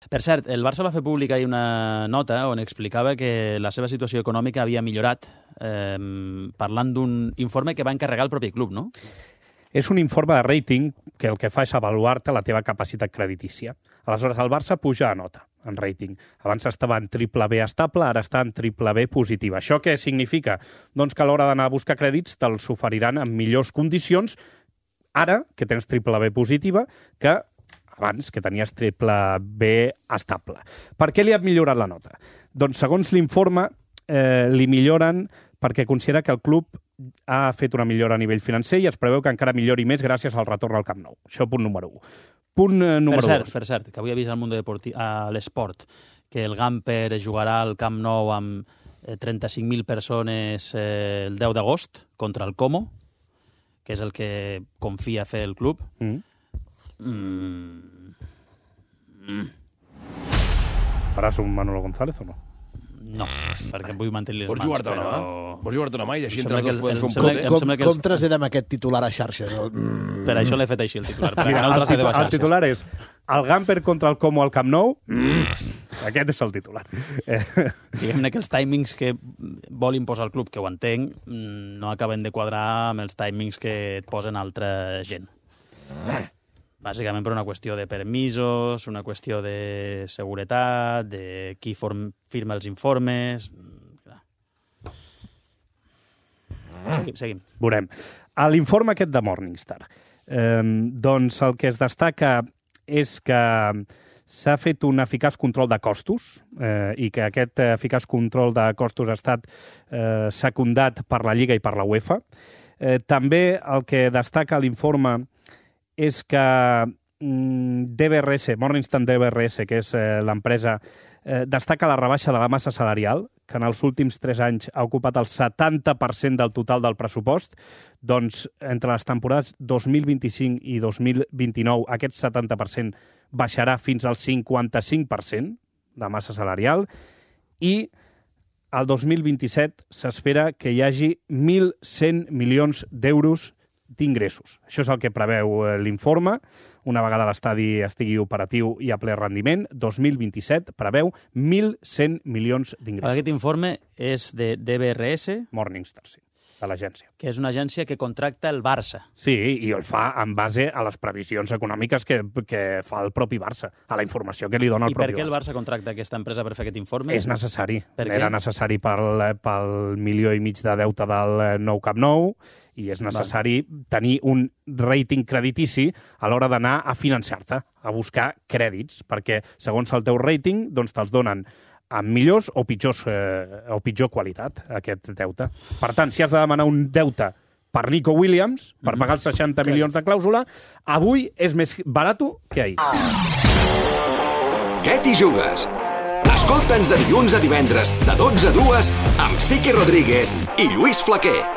Per cert, el Barça va fer pública ahir una nota on explicava que la seva situació econòmica havia millorat parlant d'un informe que va encarregar el propi club, no? És un informe de rating que el que fa és avaluar-te la teva capacitat creditícia. Aleshores, el Barça puja a nota en rating. Abans estava en BBB estable, ara està en BBB positiva. Això què significa? Doncs que a l'hora d'anar a buscar crèdits te'ls oferiran en millors condicions ara que tens BBB positiva que abans que tenies BBB estable. Per què li ha millorat la nota? Doncs segons l'informe li milloren perquè considera que el club ha fet una millora a nivell financer i es preveu que encara millori més gràcies al retorn al Camp Nou. Això punt número 1. Punt número 2. Per cert, que avui he vist al Mundo Deportivo, a l'Esport, que el Gamper jugarà al Camp Nou amb 35.000 persones el 10 d'agost contra el Como, que és el que confia fer el club. Faràs un Manolo González o no? No, perquè vull mantenir les Vols mans. jugar-te una mà? Vols jugar-te una mà i així entre els que dos podem fer un sembla pot, que- Com traslladem aquest titular a xarxes? Per això l'he fet així, el titular. Sí, el titular és el Gamper contra el Como al Camp Nou. Aquest és el titular. Diguem-ne que els timings que vol imposar el club, que ho entenc, no acaben de quadrar amb els timings que et posen altra gent. Bàsicament per una qüestió de permisos, una qüestió de seguretat, de qui firma els informes... Seguim. Veurem. A l'informe aquest de Morningstar, doncs el que es destaca és que s'ha fet un eficaç control de costos i que aquest eficaç control de costos ha estat secundat per la Lliga i per la UEFA. També el que destaca l'informe és que DBRS, Morningstar DBRS, que és l'empresa, destaca la rebaixa de la massa salarial, que en els últims 3 anys ha ocupat el 70% del total del pressupost. Doncs entre les temporades 2025 i 2029 aquest 70% baixarà fins al 55% de massa salarial i el 2027 s'espera que hi hagi 1.100 milions d'euros d'ingressos. Això és el que preveu l'informe. Una vegada l'estadi estigui operatiu i a ple rendiment, 2027 preveu 1.100 milions d'ingressos. Aquest informe és de DBRS. Morningstar, sí, de l'agència. Que és una agència que contracta el Barça. Sí, i el fa en base a les previsions econòmiques que fa el propi Barça, a la informació que li dona el propi Barça. I per què el Barça contracta aquesta empresa per fer aquest informe? És necessari. Per què? Era necessari pel 1,5 milió de deute del nou Camp Nou i és necessari tenir un rating creditici a l'hora d'anar a financiar-te, a buscar crèdits, perquè segons el teu rating doncs te'ls donen amb millors o pitjor qualitat, aquest deute. Per tant, si has de demanar un deute per Nico Williams, per pagar els 60 milions de clàusula, avui és més barat que ahir. Què t'hi jugues? Escolta'ns de dilluns a divendres, de 12 a 2, amb Siqui Rodríguez i Lluís Flaquer.